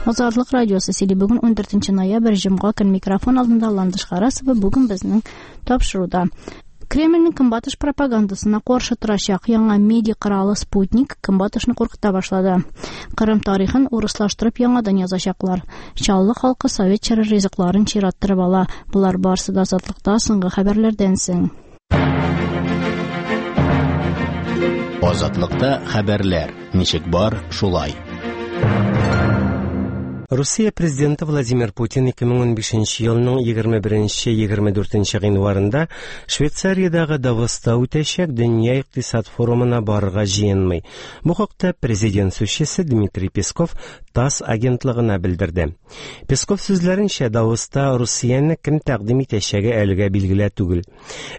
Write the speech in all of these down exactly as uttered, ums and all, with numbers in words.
Азатлык радиосы сөйли. Бүген ундүртенче ноябрь, җомга көн. Микрофон алдында Ландыш Харасова. Бүген безнең тапшыруда Кремльнең көнбатыш пропагандасына каршы торачак яңа медиа коралы Спутник көнбатышны куркыта башлады. Кырым тарихын урыслаштырып яңадан язачаклар. Чаллы халкы совет чоры ризыкларын чираттырып ала. Болар барысы да Азатлыкта соңгы хәбәрләрдән соң. Азатлыкта хәбәрләр ничек бар, шулай. Русия президенты Владимир Путин ике мең унбишенче елның егерме беренче егерме дүртенче гыйнварында Швейцариядәге Давоста үтәчәк Дөнья икътисад форумына барырга җыенмый. Бу хакта президент сүзчесе Дмитрий Песков ТАСС агентлыгына белдерде. Песков сүзләренчә, Давоста Русияне кем тәкъдим итәчәге әлегә билгеле түгел.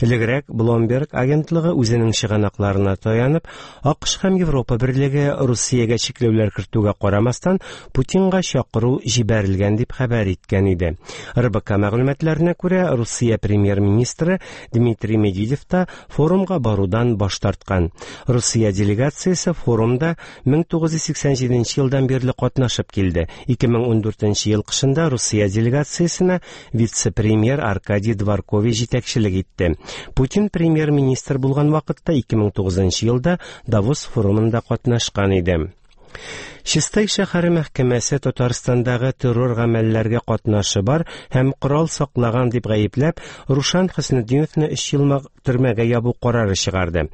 Элегрәк Bloomberg агентлыгы үзенең чыганакларына таянып, АКШ һәм Европа берлеге Русиягә чикләүләр кертүгә карамастан Путинга чакыру җибәрелгән дип хәбәр иткән иде. РБК мәгълүматларына күрә, Русия премьер-министры Дмитрий Медведев та форумга барудан баш тарткан. Русия делегациясе форумда мең тугыз йөз сиксән җиденче елдан бирле катнашып килде. Ике мең ундүртенче ел кышында Русия делегациясенә вице-премьер Аркадий Дворкович җитәкчелек итте. Путин премьер-министр булган вакытта ике мең тугызынчы елда Давос форумында катнашкан иде. Чистай шәһәре мәхкәмәсе Татарстандагы террор гамәлләргә катнашы бар һәм корал саклаган дип гаепләп, Рушан Хөснетдиновны өч ел төрмәгә ябу карары чыгарды.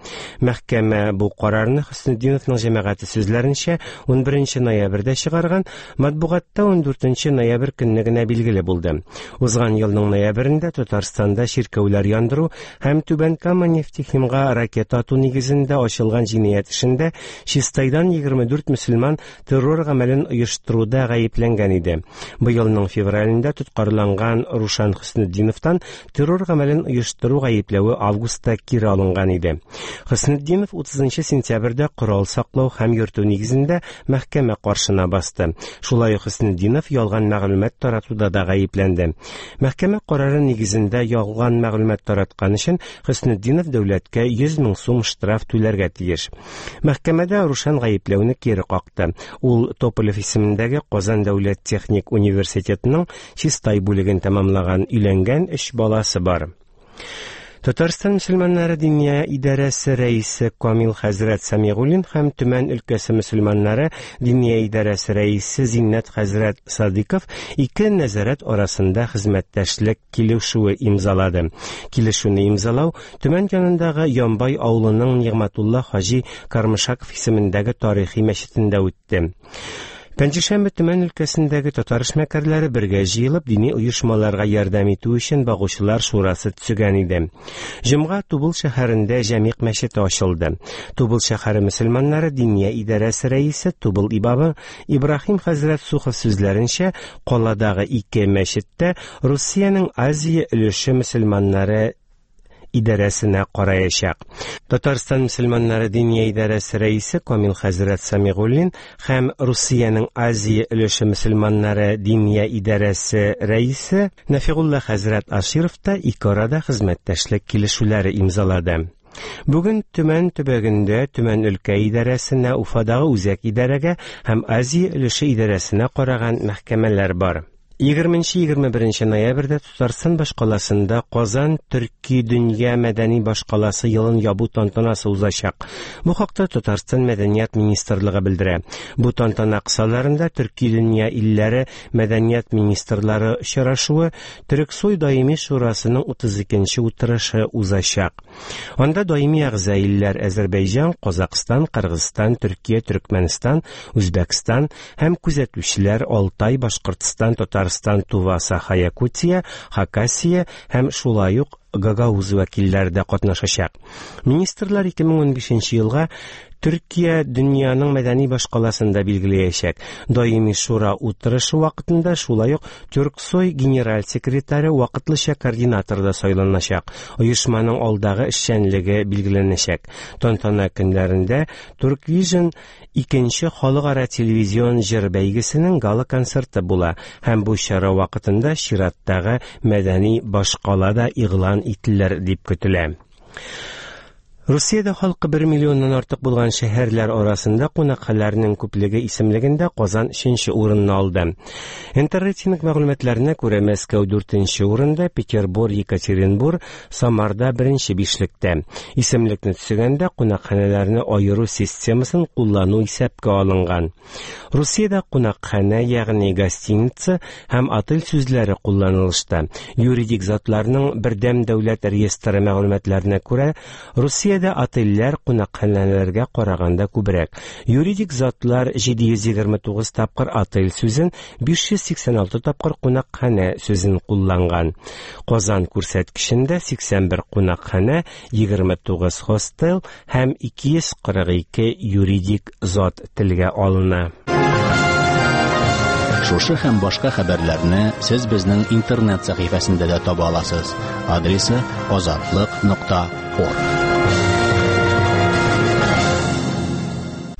Мәхкәмә бу карарны Хөснетдиновның җәмәгате сүзләренчә унберенче ноябрьдә чыгарган, матбугатта ундүртенче ноябрь көнне генә билгеле булды. Узган елның ноябрендә Татарстанда чиркәүләр яндыру һәм Түбән Кама нефтехимга ракета ату нигезендә ачылган җинаять эшендә Чистайдан егерме дүрт мөселман террор гамәлен оештыруда гаепләнгән иде. Быелның февралендә тоткарланган Рушан Хөснетдиновтан террор гамәлен оештыру гаепләве августта кире алынган иде. Хөснетдинов утызынчы сентябрьдә корал саклау һәм йөртү нигезендә мәхкәмә каршына басты. Шулай ук Хөснетдинов ялган мәгълүмат таратуда да гаепләнде. Мәхкәмә карары нигезендә ялган мәгълүмат тараткан өчен Хөснетдинов дәүләткә йөз мең сум штраф түләргә тиеш. Мәхкәмәдә Рушан гаепләүне кире какты. Ул Тополев исемендәге Казан дәүләт техник университетының Чистай бүлеген тәмамлаган, өйләнгән, өч баласы бар. Татарстан мөселманнары диния идарәсе рәисе Камил хәзрәт Самигуллин һәм Төмән өлкәсе мөселманнары диния идарәсе рәисе Зиннәт хәзрәт Садыков ике нәзарәт арасында хезмәттәшлек килешүе имзалады. Килешүне имзалау Төмән янындагы Ямбай авылының Нигъмәтулла хаҗи Кармышаков исемендәге тарихи мәчетендә үтте. Пәнҗешәмбе Төмән өлкәсендәге татар эшмәкәрләре бергә җыелып дини оешмаларга ярдәм итү өчен багучылар шурасы төзегән иде. Җомга Тубыл шәһәрендә Җәмигъ мәчете ачылды. Тубыл шәһәре мөселманнары диния идарәсе рәисе Тубыл имамы Ибраһим хәзрәт Сухов сүзләренчә, каладагы ике мәчеттә Русиянең Азия өлеше мөселманнары идарәсенә караячак. Татарстан мөселманнары диния идарәсе рәисе Камил хәзрәт Самигуллин һәм Русиянең Азия өлеше мөселманнары диния идарәсе рәисе Нәфигулла хәзрәт Аширов та ике арада хезмәттәшлек килешүләре имзалады. Бүген Төмән төбәгендә Төмән өлкә идарәсенә, Уфадагы үзәк идарәгә һәм Азия өлеше идарәсенә караган мәхкәмәләр бар. Егерменче егерме беренче ноябрьдә Татарстан башкаласында Казан Төрки дөнья мәдәни башкаласы елын ябу тантанасы узачак. Бу хакта Татарстан Мәдәният министрлыгы белдерә. Бу тантана кысаларында Төрки дөнья илләре мәдәният министрлары очрашуы Төрксой даими шурасының утыз икенче утырышы узачак. Анда даими әгъза илләр Азәрбайҗан, Казакъстан, Кыргызстан, Төркия, Төркмәнстан, Үзбәкстан һәм күзәтүчеләр Алтай, Башкортстан, Татарстан, Тува, Саха, Якутия, Хакасия һәм шулай ук Гагауз вәкилләре дә катнашачак. Министрлар ике мең унбишенче елга Төркия дөньяның мәдәни башкаласында билгеләячәк. Даими шура утырышы вакытында шулай ук Тюрксой генераль секретаре вакытлыча координатор да сайланачак. Оешманың алдагы эшчәнлеге билгеләнәчәк. Тантана көннәрендә Турквижн икенче халыкара телевизион җыр бәйгесенең гала-концерты була һәм бу чара вакытында чираттагы мәдәни башкала да игълан ителер дип көтелә. Русиядә халкы бер миллионнан артык булган шәһәрләр арасында кунакханәләрнең күплеге исемлегендә Казан өченче урынны алды. Интеррейтинг мәгълүматларына күрә, Мәскәү дүртенче урында, Петербург, Екатеринбург, Самарда беренче бишлектә. Исемлекне төзегәндә кунакханәләрне аеру системасын куллану исәпкә алынган. Русиядә кунакханә, ягъни гостиница һәм отель сүзләре кулланылышта. Юридик затларның бердәм дәүләт реестры мәгълүматларына күрә, Русия отельләр кунакханәләргә караганда күбрәк. Юридик затлар җиде йөз егерме тугыз тапкыр отель сүзен, биш йөз сиксән алты тапкыр кунакханә сүзен кулланган. Казан күрсәткечендә сиксән бер кунакханә, егерме тугыз хостел һәм ике йөз кырык ике юридик зат телгә алына. Шушы һәм башка хәбәрләрне сез безнең интернет сәхифәсендә дә таба аласыз. Адресы азатлык нокта орг.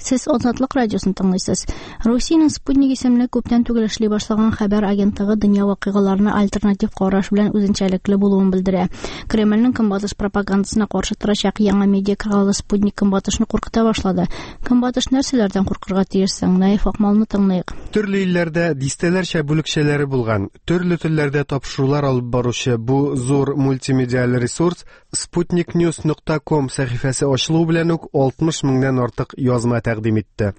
Сез Азатлык радиосын тыңлыйсыз. Русиянең Спутник исемле күптән түгел эшли башлаган хәбәр агентлыгы дөнья вакыйгаларына альтернатив караш белән үзенчәлекле булуын белдерә. Кремльнең көнбатыш пропагандасына каршы торачак яңа медиа каналы Спутник көнбатышны куркыта башлады. Көнбатыш нәрсәләрдән куркырга тиеш соң? Наиф Акмалны тыңлыйк. Төрле илләрдә дистәләрчә бүлекчәләре булган, төрле телләрдә тапшырулар алып баручы бу зур мультимедиаль ресурс спутник ньюс нокта ком сәхифәсе ачылу белән үк алтмыш меңнән артык язма тәкъдим итте.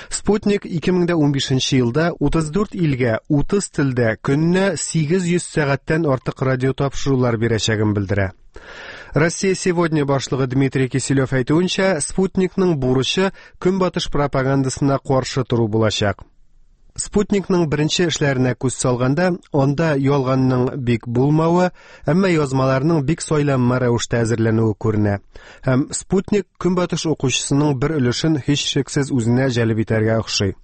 Спутник ике мең унбишенче елда утыз дүрт илгә утыз телдә көненә сигез йөз сәгатьтән артык радио тапшырулар бирәчәген белдерә. Россия сегодня башлыгы Дмитрий Киселев әйтүенчә, Спутникның бурычы көнбатыш пропагандасына каршы тору булачак. Спутникның беренче эшләренә күз салганда, анда ялганның бик булмавы, әмма язмаларның бик сайланма рәвештә әзерләнүе күренә. Һәм Спутник көнбатыш укучысының бер өлешен һичшиксез үзенә җәлеп итәргә охшый.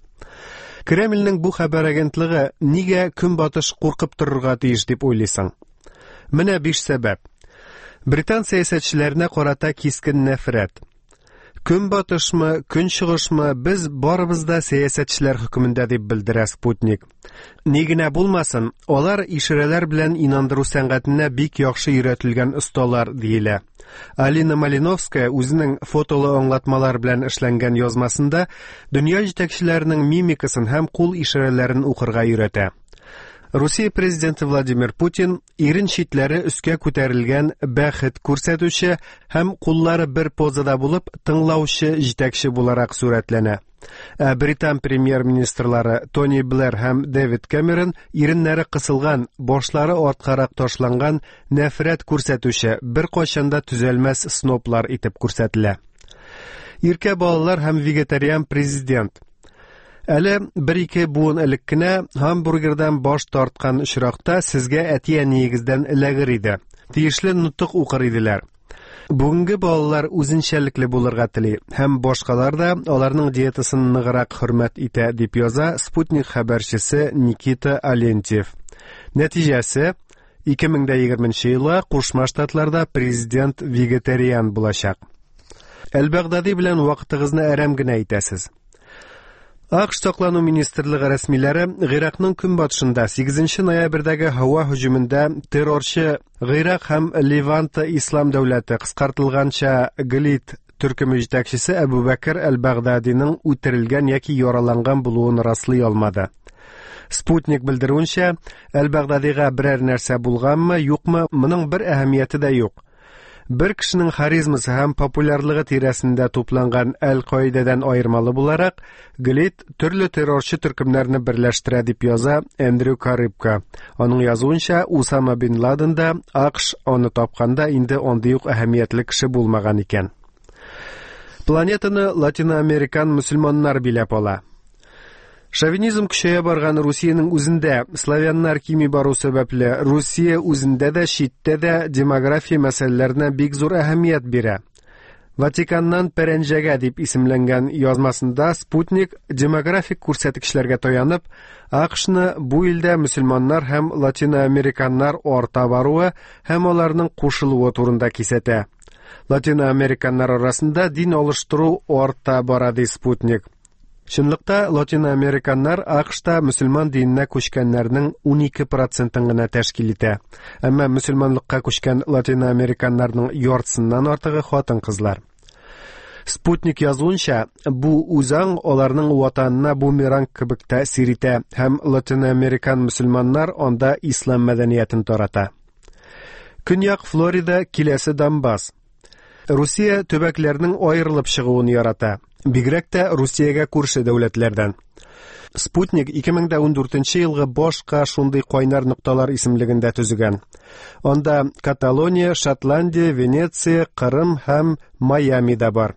Кремльнең бу хәбәр агентлыгы нигә көнбатыш куркып торырга тиеш дип уйлыйсың? Менә биш сәбәп. Британ сәясәтчеләренә карата кискен нәфрәт. Көнбатышмы, көнчыгышмы, без барыбыз да сәясәтчеләр хөкемендә дип белдерә Спутник. Ни генә булмасын, алар ишарәләр белән инандыру сәнгатенә бик яхшы өйрәтелгән осталар диелә. Алина Малиновская үзенең фотолы аңлатмалар белән эшләнгән язмасында дөнья җитәкчеләренең мимикасын һәм кул ишарәләрен укырга өйрәтә. Русия президенты Владимир Путин ирен читләре өскә күтәрелгән бәхет күрсәтүче һәм куллары бер позада булып тыңлаучы җитәкче буларак сурәтләнә. Ә Британ премьер-министрлары Тони Блэр һәм Дэвид Кэмерон иреннәре кысылган, башлары арткарак ташланган нәфрәт күрсәтүче, бер кайчан да төзәлмәс сноблар итеп күрсәтелә. Иркә балалар һәм вегетариан президент. Әле бер-ике буын элек кенә һамбургердан баш тарткан очракта сезгә әти-әниегездән эләгер иде. Тиешле нотык укыр иделәр. Бүгенге балалар үзенчәлекле булырга тели һәм башкалар да аларның диетасын ныграк хөрмәт итә дип яза Спутник хәбәрчесе Никита Алентьев. Нәтиҗәсе, ике мең егерменче елга Кушма Штатларда президент вегетариан булачак. Әл-Багдади белән вакытыгызны әрәм генә итәсез. АКШ саклану министрлыгы рәсмиләре Гыйракның көнбатышында сигезенче ноябрьдәге һава һөҗүмендә террорчы Гыйрак һәм Леванта Ислам дәүләте кыскартылганча ГЛИД төркеме җитәкчесе Әбу Бәкер әл-Багдадиның үтерелгән яки яраланган булуын раслый алмады. Спутник белдерүенчә, әл-Багдадига берәр нәрсә булганмы, юкмы, моның бер әһәмияте дә юк. Бер кешенең харизмасы һәм популярлыгы тирәсендә тупланган Әл-Каидәдән аермалы буларак, ГЛИД төрле террорчы төркемнәрне берләштерә дип яза Эндрю Карыбка. Аның язуынча, Усама бин Ладен да АКШ аны тапканда инде андый ук әһәмиятле кеше булмаган икән. Планетаны латиноамерикан мөселманнар биләп ала. Шовинизм көчәя барган Русиянең үзендә славяннар кими бару сәбәпле Русия үзендә дә читтә дә демография мәсьәләләренә бик зур әһәмият бирә. Ватиканнан пәрәнҗәгә дип исемләнгән язмасында Спутник демографик күрсәткечләргә таянып, АКШны бу илдә мөселманнар һәм латиноамериканнар арта баруы һәм аларның кушылуы турында кисәтә. Латиноамериканнар арасында дин алыштыру арта бара ди Спутник. Чынлыкта латиноамериканнар А К Шта мөселман диненә күчкәннәрнең унике процентын гына тәшкил итә. Әмма мөселманлыкка күчкән латиноамериканнарның яртысыннан артыгы хатын-кызлар. Спутник язуынча, бу үзаң аларның ватанына бумеранг кебек тәэсир итә һәм латиноамерикан мөселманнар анда ислам мәдәниятен тарата. Көньяк Флорида киләсе Донбасс. Русия төбәкләрнең аерылып чыгуын ярата. Бигрәк тә Русиягә күрше дәүләтләрдән. Спутник ике мең дә ундүртенче елгы башка шундый кайнар нокталар исемлеген дә төзегән. Анда Каталония, Шотландия, Венеция, Кырым һәм Майами да бар.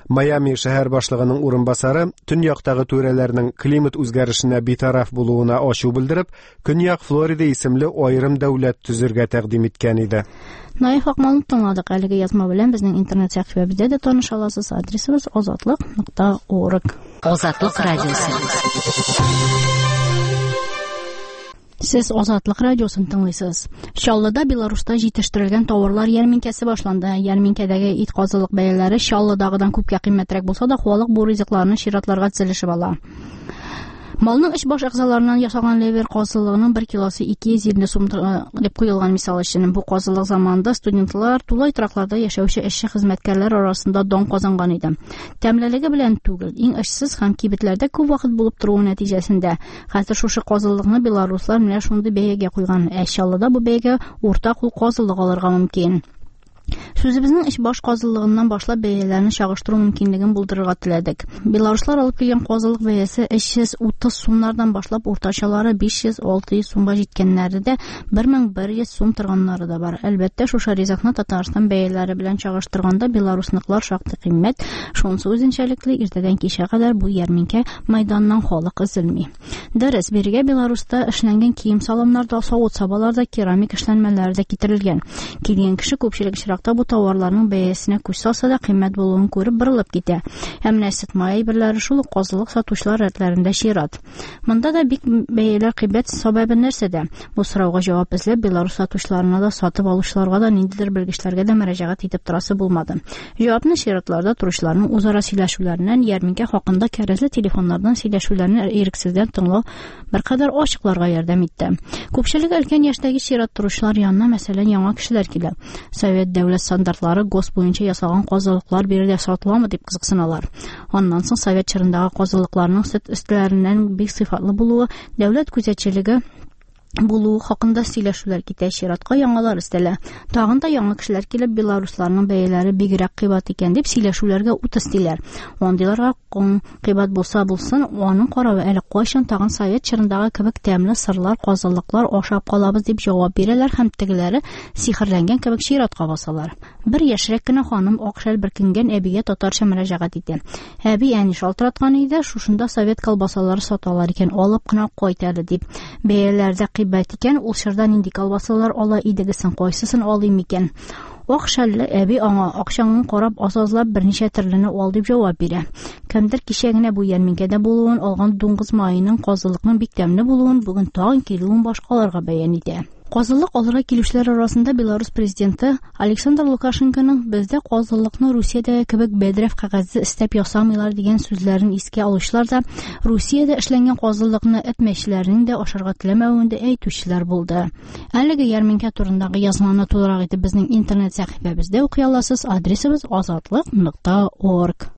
Майами шәһәр башлыгының урынбасары төньяктагы түрәләрнең климат үзгәрешенә битараф булуына ачу белдереп, Көньяк Флорида исемле аерым дәүләт төзергә тәкъдим иткән иде. Наиф Акмалны тыңладык. Әлеге язма белән безнең интернет сәхифәбездә дә таныша аласыз. Адресыбыз азатлык нокта орг. Азатлык радиосы. Сез Азатлык радиосын тыңлыйсыз. Чаллыда Беларуста җитештерелгән товарлар ярминкәсе башланды. Ярминкәдәге ит, казылык бәяләре Чаллыдагыдан күпкә кыйммәтрәк булса да, халык бу ризыкларны чиратларга тезелешеп ала. Малның эч баш әгъзаларыннан ясалган ливер казылыгының бер килосы ике йөз илле сум дип куелган, мисал өчен. Бу казылык заманында студентлар, тулай торакларда яшәүче эшче хезмәткәрләр арасында дан казанган иде. Тәмлелеге белән түгел, иң очсыз һәм кибетләрдә күп вакыт булып торуы нәтиҗәсендә. Хәзер шушы казылыкны белоруслар менә шундый бәягә куйган. Ә Чаллыда бу бәягә урта кул казылык алырга мөмкин. Сүзебезнең эч баш казылыгыннан башлап бәяләрне чагыштыру мөмкинлеген булдырырга теләдек. Белоруслар алып килгән казылык бәясе өч йөз утыз сумнардан башлап уртачалары биш йөз-алты йөз сумга җиткәннәре дә, бер мең бер йөз сум торганнары да бар. Әлбәттә, шушы ризыкны Татарстан бәяләре белән чагыштырганда белорусныкылар шактый кыйммәт. Шунысы үзенчәлекле, иртәдән кичкә кадәр бу ярминкә мәйданыннан халык өзелми. Дөрес, бирегә Беларуста эшләнгән кием-салымнар да, савыт-сабалар да, керамик эшләнмәләр дә китерелгән. Килгән кеше күпчелек очракта бу товарларның бәясенә күз салса да, кыйммәт булуын күреп борылып китә. Ә менә сөт, май әйберләре, шул ук казылык сатучылар рәтләрендә чират. Монда да бик бәяләр кыйбат, сәбәбе нәрсәдә? Бу сорауга җавап эзләп Беларус сатучыларына да, сатып алучыларга да, ниндидер белгечләргә дә мөрәҗәгать итеп торасы булмады. Җавапны чиратларда торучыларның үзара сөйләшүләреннән, ярминкә хакында кәрәзле телефоннардан сөйләшүләрне ирексездән тыңлау беркадәр ачыкларга ярдәм итте. Күпчелек өлкән яшьтәге чират торучылар янына, мәсәлән, яңа кешеләр килә. Совет дәүләт стандартлары ГОСТ буенча ясалган казылыклар биредә сатыламы дип кызыксыналар. Аннан соң совет чорындагы казылыкларның сөт өстләреннән бик сыйфатлы булуы, дәүләт күзәтчелеге булуы хакында сөйләшүләр китә, чиратка яңалар өстәлә. Тагын да яңа кешеләр килеп, белорусларның бәяләре бигрәк кыйбат икән дип сөйләшүләргә ут өстиләр. Андыйларга кыйбат булса булсын, аның каравы әле кайчан тагын совет чорындагы кебек тәмле сырлар, казылыклар ашап калабыз дип җавап бирәләр һәм тегеләре сихерләнгән кебек чиратка басалар. Бер яшьрәк кенә ханым ак шәл бөркенгән әбигә татарча мөрәҗәгать итә. Әби, әни шалтыраткан иде, шушында совет колбасалары саталар икән, алып кына кайт әле дип. Бәяләр дә кыйбат икән, ул чорда нинди колбасалар ала идегез соң, кайсысын алыйм икән? Ак шәлле әби аңа акчаңны карап аз-азлап берничә төрлене ал дип җавап бирә. Кемдер кичә генә бу ярминкәдә булуын, алган дуңгыз маеның, казылыкның бик тәмле булуын, бүген тагын килүен башкаларга бәян итә. Казылык алырга килүчеләр арасында Беларус президенты Александр Лукашенконың бездә казылыкны Русиядәге кебек бәдрәф кәгазе өстәп ясамыйлар дигән сүзләрен искә алучылар да, Русиядә эшләнгән казылыкны эт мәчеләренең дә ашарга теләмәвен дә әйтүчеләр булды. Әлеге ярминкә турындагы язманы тулырак итеп безнең интернет сәхифәбездә укый аласыз. Адресыбыз азатлык нокта орг.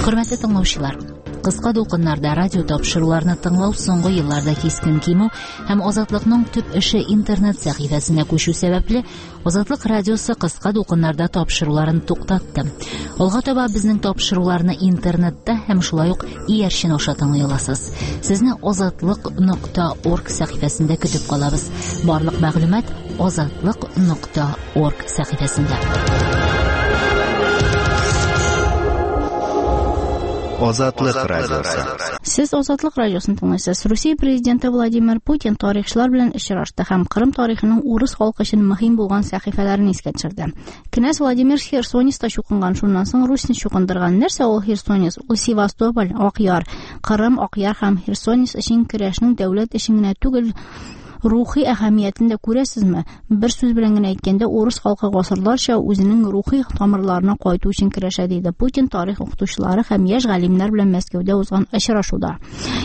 Хөрмәтле тыңлаучылар, кыска дулкыннарда радио тапшыруларны тыңлау соңгы елларда кискен кимү һәм Азатлыкның төп эше интернет сәхифәсенә күчү сәбәпле, Азатлык радиосы кыска дулкыннарда тапшыруларын туктатты. Алга таба безнең тапшыруларны интернетта һәм шулай ук иярчен аша тыңлый аласыз. Сезне азатлык нокта орг сәхифәсендә көтеп калабыз. Барлык мәгълүмат азатлык нокта орг сәхифәсендә. Азатлык радиосы. Сез Азатлык радиосын тыңлыйсыз. Русия президенты Владимир Путин тарихчылар белән очрашты һәм Кырым тарихының урыс халкы өчен мөһим булган сәхифәләрен искә төшерде. Князь Владимир Херсонеста чукынган, шуннан соң Русьны чукындырган. Нәрсә ул Херсонес? Ул Севастополь, Акъяр. Кырым, Акъяр һәм Херсонес өчен көрәшнең дәүләт өчен генә түгел, Рухи әһәмиятен дә күрәсезме? Бер сүз белән генә әйткәндә, урыс халкы гасырларча үзенең рухи тамырларына кайту өчен көрәшә, диде Путин тарих укытучылары һәм яшь галимнәр белән Мәскәүдә узган очрашуда.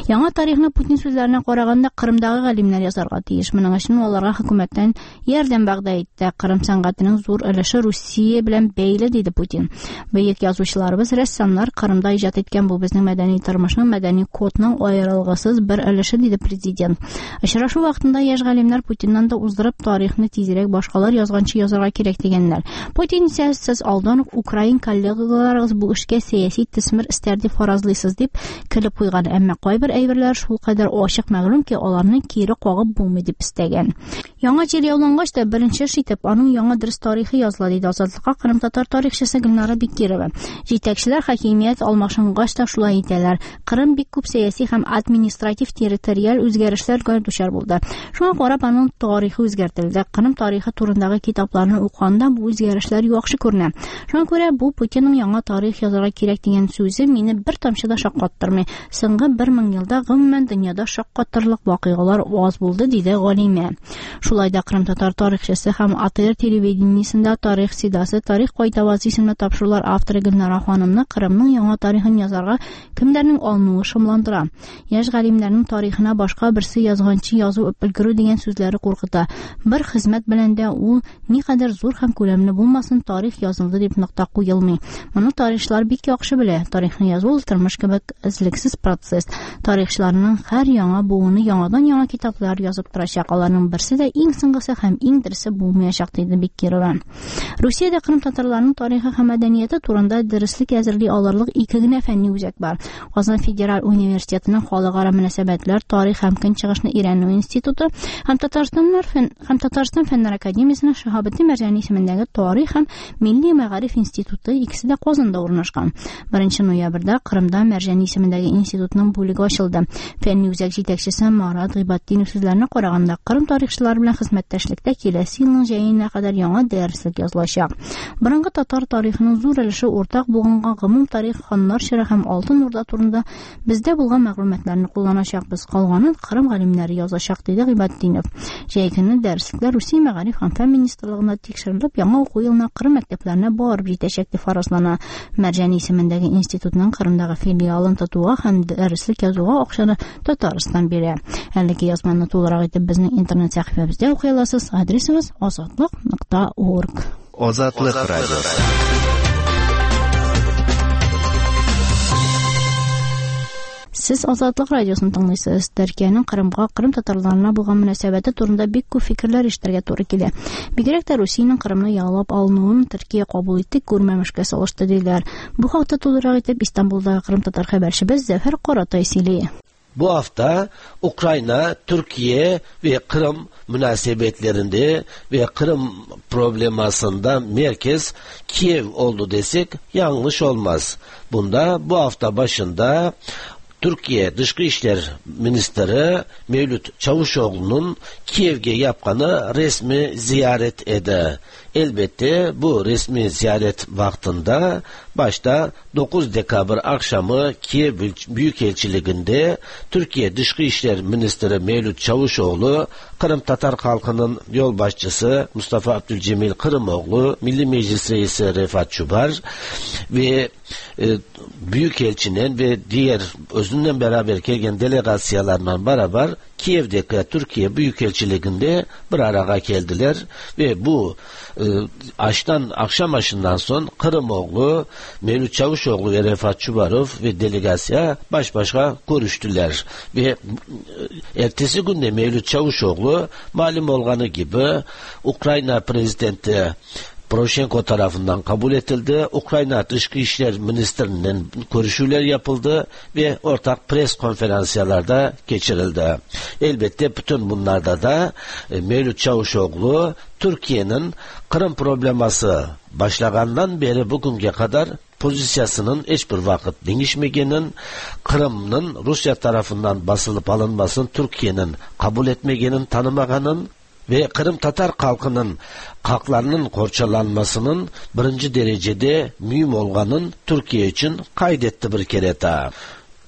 Яңа тарихны Путин сүзләренә караганда Кырымдагы галимнәр язарга тиеш. Моның өчен аларга хөкүмәттән ярдәм вәгъдә итте. Кырым сәнгатенең зур өлеше Русия белән бәйле, диде Путин. Бөек язучыларыбыз, рәссамнар Кырымда иҗат иткән, бу безнең мәдәни тормышның, мәдәни кодның аерылгысыз бер өлеше, диде президент. Очрашу вакытында яшь галимнәр Путиннан да уздырып тарихны тизрәк башкалар язганчы язарга кирәк дигәннәр. Путин исә сез алдан ук украин коллегаларыгыз бу эшкә сәяси төсмер истәр дип фаразлыйсыз дип көлеп куйган. Әмма кайбер әйберләр шулкадәр ачык мәгълүм ки, аларны кире кагып булмый дип өстәгән. Яңа җир яулангач та беренче эш итеп аның яңа дөрес тарихы языла, диде Азатлыкка Кырым татар тарихчысы Гөлнара Бекирова. Җитәкчеләр хакимият алмашынгач та шулай итәләр. Кырым бик күп сәяси һәм административ территориаль үзгәрешләргә дучар булды. Шуңа карап аның тарихы үзгәртелде. Кырым тарихы турындагы китапларны укыганда бу үзгәрешләр яхшы күренә. Шуңа күрә бу Путинның яңа тарих язарга кирәк дигән сүзе мине бер тамчы да шаккаттырмый. Соңгы бер мең елда гомумән дөньяда шаккатырлык вакыйгалар аз булды, диде галимә. Шулай да Кырым татар тарихчысы һәм А Т Р телевидениесендә тарих сидасы, тарих кайтавазы исемле тапшырулар авторы Гөлнара ханымны Кырымның яңа тарихын язарга кемдәрнең алынуы шомландыра. Яшь галимнәрнең тарихына башка берсе язганчы язу өлгерү дигән сүзләре куркыта. Бер хезмәт белән дә ул никадәр зур һәм күләмле булмасын, тарих язылды дип нокта куелмый. Моны тарихчылар бик яхшы белә. Тарихны язу ул тормыш кебек эзлексез процесс. Тарихчыларның һәр яңа буыны яңадан яңа китаплар язып торачак. Аларның берсе дә иң соңгысы һәм иң дөресе булмаячак, диде Бекирова. Русиядә Кырым татарларының тарихы һәм мәдәнияте турында дөреслек әзерли алырлык ике генә фәнни үзәк бар. Казан федераль университетының халыкара мөнәсәбәтләр, тарих һәм көнчыгышны өйрәнү институты һәм Татарстаннар фән һәм Татарстан фәннәр академиясенең Шиһабетдин Мәрҗани исемендәге тарих һәм милли мәгариф институты икесе дә Казанда урнашкан. Беренче ноябрьдә Кырымда Мәрҗани исемендәге институтның бүлеге ачылды. Фәнни үзәк җитәкчесе Марат Гыйбатдинов сүзләренә караганда, Кырым тарихчылары белән хезмәттәшлектә киләсе елның җәенә кадәр яңа дәреслек язылачак. Борынгы татар тарихының зур өлеше уртак булганга гомум тарих, ханнар чоры һәм Алтын Урда турында бездә булган мәгълүматларны кулланачакбыз. Калганын Кырым галимнәре язачак, диде Гыйбатдинов. Җәй көне дәреслекләр Русия мәгариф һәм фән министрлыгында тикшерелеп, яңа уку елына Кырым мәктәпләренә барып җитәчәк дип фаразлана. Мәрҗани исемендәге институтның Кырымдагы филиалын тотуга һәм дәреслек язуга акчаны Татарстан бирә. Әлеге язманы тулырак итеп безнең интернет сәхифәбездә укый аласыз. Адресыбыз азатлык нокта орг. Азатлык радиосы. Сез Азатлык радиосын тыңлыйсыз. Төркиянең Кырымга, Кырым татарларына булган мөнәсәбәте турында бик күп фикерләр ишетергә туры килә. Бигрәк тә Русиянең Кырымны яулап алынуын Төркия кабул итте, күрмәмешкә салышты диләр. Бу хакта тулырак итеп Истанбулдагы Кырым татар хәбәрчебез Зәфәр Каратай сөйли. Bu hafta Ukrayna, Türkiye ve Kırım münasebetlerinde ve Kırım problemasında merkez Kiev oldu desek yanlış olmaz. Bunda bu hafta başında Türkiye Dışkı İşler Ministeri Mevlüt Çavuşoğlu'nun Kiev'e yapqanı resmi ziyaret edi. Elbette bu resmi ziyaret vaktinde başta dokuz dekabr akşamı Kiev Büyükelçiliğinde Türkiye Dışkı İşler Ministeri Mevlüt Çavuşoğlu, Kırım Tatar halkının yolbaşçısı Mustafa Abdülcemil Kırımoğlu, Milli Meclis Reisi Refat Çubar ve e, Büyükelçinin ve diğer özünden beraber gelgen delegatsiyalarla beraber Kiev'deki Türkiye Büyükelçiliğinde bir araya geldiler ve bu e, aştan, akşam aşından son Kırımoğlu, Mevlüt Çavuşoğlu ve Refat Çubarov ve delegasya baş başa görüştüler. Ve e, ertesi günde Mevlüt Çavuşoğlu malum olganı gibi Ukrayna Prezidenti Poroshenko tarafından kabul edildi. Ukrayna Dışkı İşler Ministeri'nin görüşüler yapıldı ve ortak pres konferansiyalarda geçirildi. Elbette bütün bunlarda da Mevlüt Çavuşoğlu Türkiye'nin Kırım probleması başlagandan beri bugünkü kadar pozisyasının hiçbir vakit değişmegenin, Kırım'ın Rusya tarafından basılıp alınmasını Türkiye'nin kabul etmegenin, tanımaganın ve Kırım Tatar halkının haklarının korçalanmasının birinci derecede mühim olganın Türkiye için kaydetti bir kere daha.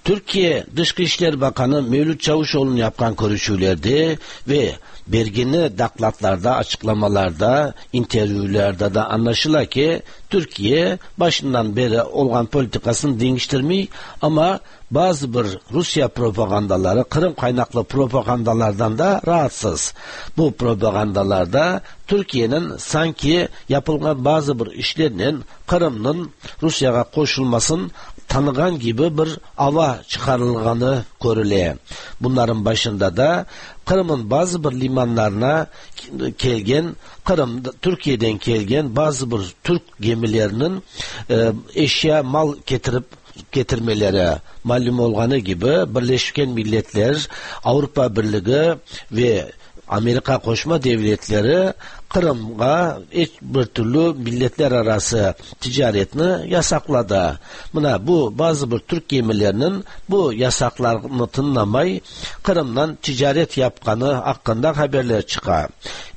Türkiye Dışkı İşler Bakanı Mevlüt Çavuşoğlu'nun yapkan görüşülerde ve Bergini daklatlarda, açıklamalarda, intervyülerde de anlaşıla ki Türkiye başından beri olan politikasını değiştirmiyor ama bazı bir Rusya propagandaları, Kırım kaynaklı propagandalardan da rahatsız. Bu propagandalarda Türkiye'nin sanki yapılan bazı bir işlerinin Kırım'ın Rusya'ya koşulmasın tanıgan gibi bir ava çıkarılganı görülüyor. Bunların başında da Kırım'ın bazı bir limanlarına kelgen, Kırım Türkiye'den kelgen bazı bir Türk gemilerinin e, eşya mal getirip getirmeleri malum olganı gibi Birleşken Milletler, Avrupa Birliği ve Amerika Qoşma Devletleri Kırım'a hiç bir türlü milletler arası ticaretini yasakladı. Buna bu bazı bir Türk gemilerinin bu yasaklarını tınlamay Kırım'dan ticaret yapkanı hakkında haberler çıkar.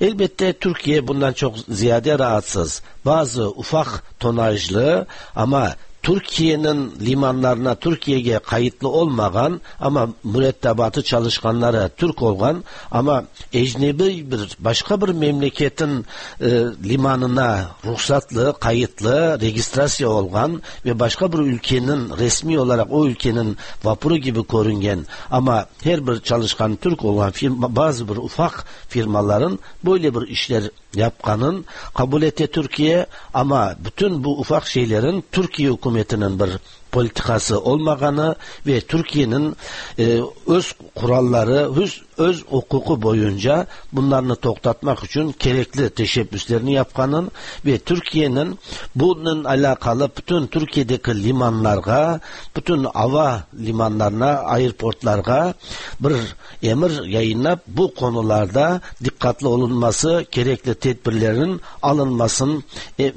Elbette Türkiye bundan çok ziyade rahatsız. Bazı ufak tonajlı ama Türkiye'nin limanlarına Türkiye'ye kayıtlı olmayan ama mürettebatı çalışkanları Türk olan ama ecnebi bir başka bir memleketin e, limanına ruhsatlı, kayıtlı, registrasyon olan ve başka bir ülkenin resmi olarak o ülkenin vapuru gibi görüngen ama her bir çalışkan Türk olan firma, bazı bir ufak firmaların böyle bir işler yapkanın kabul etti Türkiye ama bütün bu ufak şeylerin Türkiye hükümetinin bir politikası olmaganı ve Türkiye'nin e, öz kuralları, öz, öz hukuku boyunca bunlarını toktatmak için gerekli teşebbüslerini yapkanın ve Türkiye'nin bunun alakalı bütün Türkiye'deki limanlara, bütün hava limanlarına, airportlara bir emir yayınlap bu konularda dikkatli olunması, gerekli tedbirlerin alınmasının e,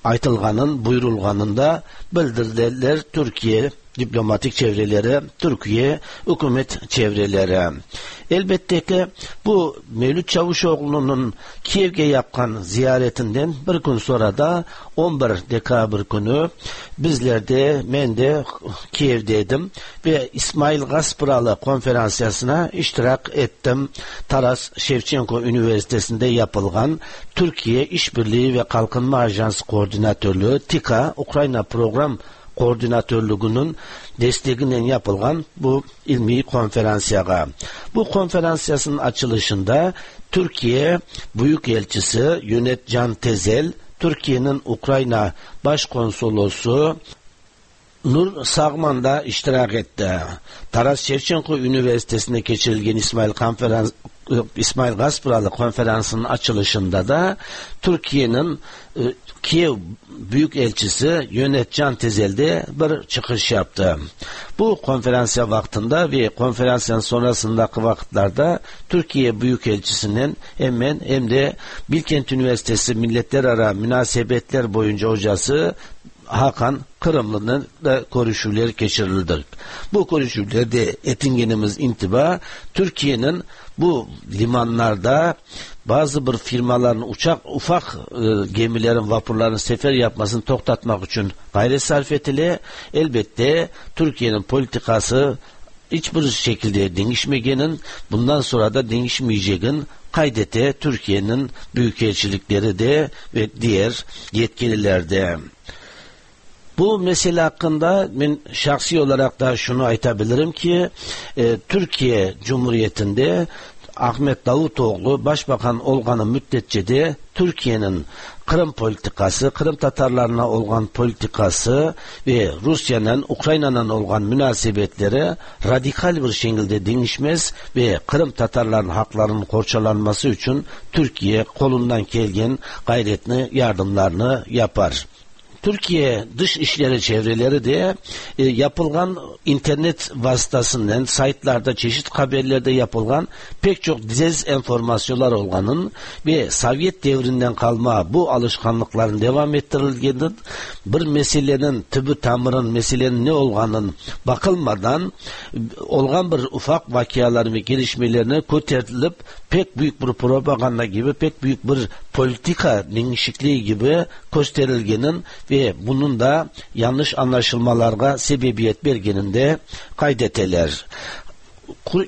aytılganın, buyurulganın da bildirdiler Türkiye diplomatik çevreleri, Türkiye hükümet çevreleri. Elbette ki bu Mevlüt Çavuşoğlu'nun Kiev'e yapkan ziyaretinden bir gün sonra da on bir dekabr günü bizler de, ben de Kiev'deydim ve İsmail Gaspıralı konferansiyasına iştirak ettim. Taras Şevçenko Üniversitesi'nde yapılan Türkiye İşbirliği ve Kalkınma Ajansı Koordinatörlüğü TİKA Ukrayna Program Koordinatörlüğünün desteğiyle yapılan bu ilmi konferansiyaya. Bu konferansiyasının açılışında Türkiye Büyükelçisi Yönet Can Tezel, Türkiye'nin Ukrayna Başkonsolosu Nur Sağman da iştirak etti. Taras Şevçenko Üniversitesi'nde geçirilgen İsmail Konferans İsmail Gaspıralı konferansının açılışında da Türkiye'nin e, Kiev Büyükelçisi Yönet Can Tezel de bir çıkış yaptı. Bu konferansiya vaktinde ve konferansın sonrasındaki vakitlerde Türkiye Büyükelçisi'nin hemen hem de Bilkent Üniversitesi Milletler Ara Münasebetler boyunca hocası Hakan Kırımlı'nın da görüşmeler geçirildi. Bu görüşmelerde etingenimiz intiba Türkiye'nin bu limanlarda bazı bir firmaların uçak ufak e, gemilerin, vapurların sefer yapmasını toktatmak için gayret sarf etili. Elbette Türkiye'nin politikası hiçbir şekilde değişmegenin, bundan sonra da değişmeyeceğin kaydete Türkiye'nin büyükelçilikleri de ve diğer yetkililer de. Bu mesele hakkında ben şahsi olarak da şunu aytabilirim ki e, Türkiye Cumhuriyeti'nde Ahmet Davutoğlu Başbakan olganı müddetçe de Türkiye'nin Kırım politikası, Kırım Tatarlarına olan politikası ve Rusya'nın Ukrayna'nın olan münasebetleri radikal bir şekilde değişmez ve Kırım Tatarlarının haklarının korçalanması için Türkiye kolundan kelgen gayretini, yardımlarını yapar. Türkiye Dışişleri çevreleri de e, yapılan internet vasıtasından saytlarda çeşitli haberlerde yapılan pek çok dezenformasyonlar olganın ve Sovyet devrinden kalma bu alışkanlıkların devam ettirildiğinin bir meselenin tübü tamırın meselenin ne olganın bakılmadan olgan bir ufak vakiaların ve gelişmelerini kötertilip pek büyük bir propaganda gibi pek büyük bir politika değişikliği gibi gösterilgenin ve bunun da yanlış anlaşılmalara sebebiyet bergeninde kaydeteler.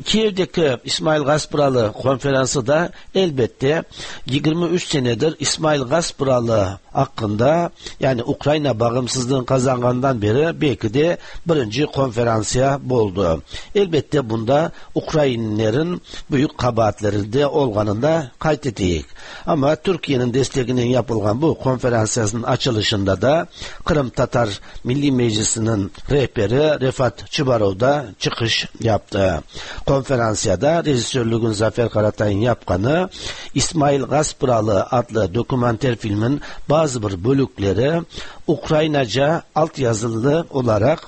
Kiev'deki İsmail Gaspıralı konferansı da elbette yirmi üç senedir İsmail Gaspıralı hakkında, yani Ukrayna bağımsızlığını kazangandan beri belki de birinci konferansiya oldu. Elbette bunda Ukrayinlerin büyük kabahatleri de olganını da kaydettik. Ama Türkiye'nin desteğinin yapılan bu konferansiyasının açılışında da Kırım Tatar Milli Meclisi'nin rehberi Refat Çubarov da çıkış yaptı. Konferansiyada rejisörlüğün Zafer Karatay'ın yapkanı İsmail Gaspıralı adlı dokumenter filmin bazı bir bölükleri Ukraynaca altyazılı olarak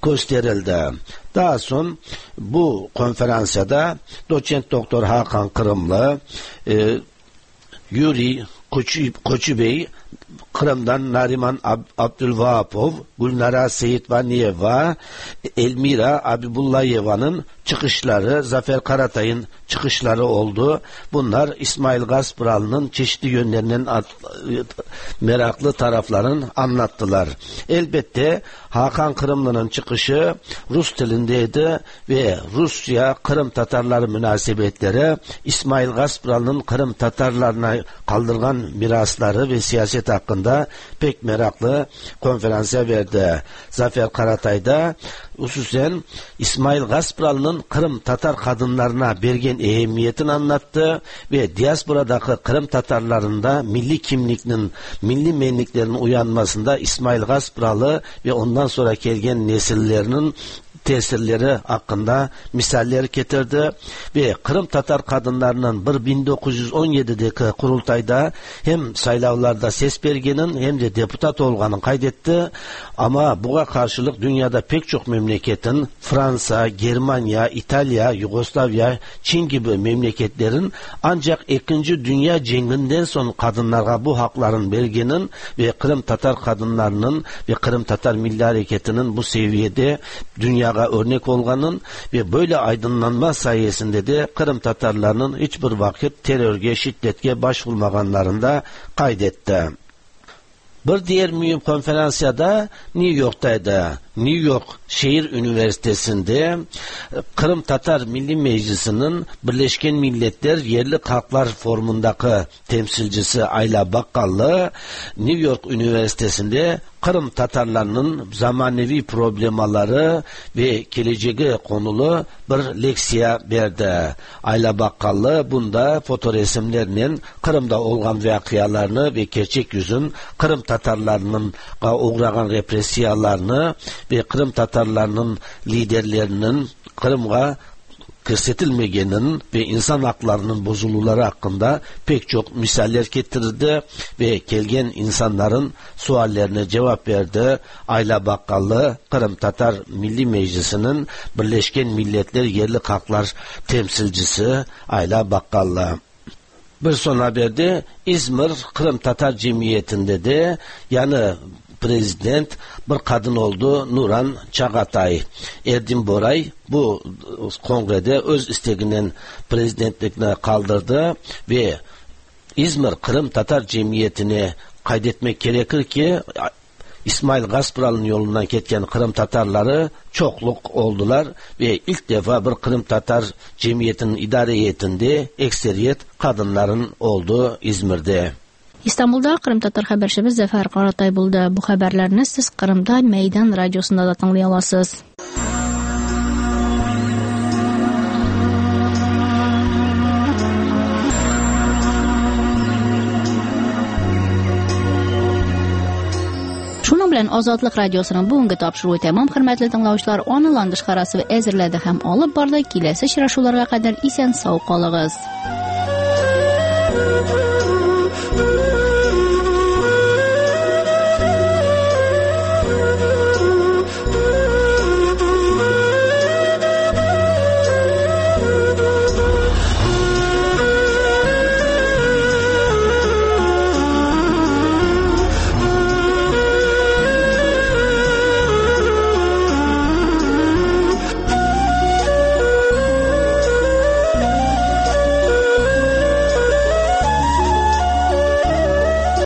gösterildi. Daha sonra bu konferansiyada doçent doktor Hakan Kırımlı, e, Yuri Koçubey, Kırım'dan Nariman Ab Abdülvahapov, Gülnara Seyitvaniyeva, Elmira Abibullayeva'nın çıkışları, Zafer Karatay'ın çıkışları oldu. Bunlar İsmail Gaspıralı'nın çeşitli yönlerinin meraklı taraflarını anlattılar. Elbette Hakan Kırımlı'nın çıkışı Rus dilindeydi ve Rusya Kırım Tatarları münasebetleri, İsmail Gaspıralı'nın Kırım Tatarlarına kaldırgan mirasları ve siyaset hakkında pek meraklı konferansa verdi. Zafer Karatay da hususen İsmail Gaspıralı'nın Kırım Tatar kadınlarına bergen ehemmiyetini anlattı ve diasporadaki Kırım Tatarlarında milli kimlikinin, milli menliklerinin uyanmasında İsmail Gaspıralı ve ondan sonra gelgen nesillerinin tesirleri hakkında misaller getirdi ve Kırım Tatar kadınlarının bir bin dokuz yüz on yedideki kurultayda hem saylavlarda ses bergenin hem de deputat olganın kaydetti. Ama buna karşılık dünyada pek çok memleketin, Fransa, Germanya, İtalya, Yugoslavya, Çin gibi memleketlerin ancak ikinci Dünya Cenginden son kadınlara bu hakların bergenin ve Kırım Tatar kadınlarının ve Kırım Tatar Milli Hareketi'nin bu seviyede dünya örnek olganın ve böyle aydınlanma sayesinde de Kırım Tatarlarının hiçbir vakit terörge, şiddetke başvurmaganlarını da kaydetti. Bir diğer mühim konferansiyada New York'taydı. New York Şehir Üniversitesi'nde Kırım Tatar Milli Meclisi'nin Birleşken Milletler Yerli Halklar Forumu'ndaki temsilcisi Ayla Bakkallı, New York Üniversitesi'nde Kırım Tatarlarının zamanevi problemaları ve geleceği konulu bir leksiya verdi. Ayla Bakkallı bunda fotoresimlerinin Kırım'da olan vakialarını ve gerçek yüzün Kırım Tatarlarının uğragan represiyalarını ve Kırım Tatarlarının liderlerinin Kırım'a kirsetilmegenin ve insan haklarının bozuluları hakkında pek çok misaller getirdi ve kelgen insanların suallerine cevap verdi. Ayla Bakkallı, Kırım Tatar Milli Meclisi'nin Birleşken Milletler Yerli Halklar temsilcisi Ayla Bakkallı. Bir son haberde İzmir Kırım Tatar Cemiyeti'nde de yani prezident bir kadın oldu, Nuran Çağatay. Erdin Boray bu kongrede öz isteğinden prezidentlikini kaldırdı ve İzmir Kırım Tatar Cemiyeti'ni kaydetmek gerekir ki İsmail Gaspıralı'nın yolundan ketken Kırım Tatarları çokluk oldular ve ilk defa bir Kırım Tatar Cemiyeti'nin idare heyetinde ekseriyet kadınların oldu İzmir'de. İstanbul'da Kırım Tatar haberçimiz Zafer Karatay buldu. Bu haberlerini siz Kırım'da Meydan Radyosu'nda da tınglayalасыз. Шуның белән Азатлык радиосының бүгенге тапшыруы тәмам, хөрмәтле тыңлаучылар. Аны Ландыш Харасова әзерләде һәм алып барды. Киләсе очрашуларга кадәр исән сау калыгыз.